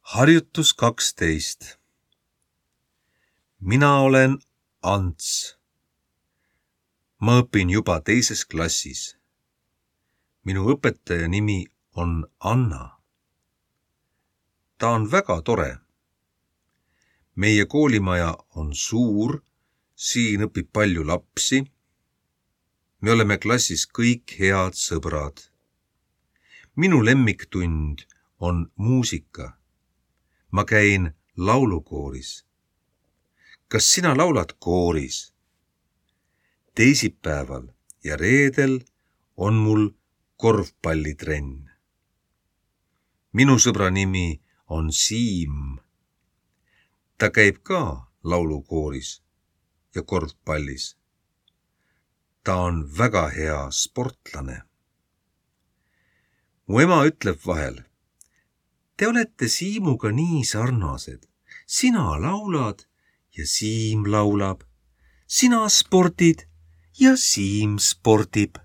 Harjutus 12. Mina olen Ants. Ma õpin juba 2. klassis. Minu õpetaja nimi on Anna. Ta on väga tore. Meie koolimaja on suur, siin õpib palju lapsi. Me oleme klassis kõik head sõbrad. Minu lemmiktund on muusika. Ma käin laulukooris. Kas sina laulad kooris? Teisipäeval ja reedel on mul korvpallitrenn. Minu sõbra nimi on Siim. Ta käib ka laulukooris ja korvpallis. Ta on väga hea sportlane. Mu ema ütleb vahel: te olete Siimuga nii sarnased. Sina laulad ja Siim laulab. Sina spordid ja Siim spordib.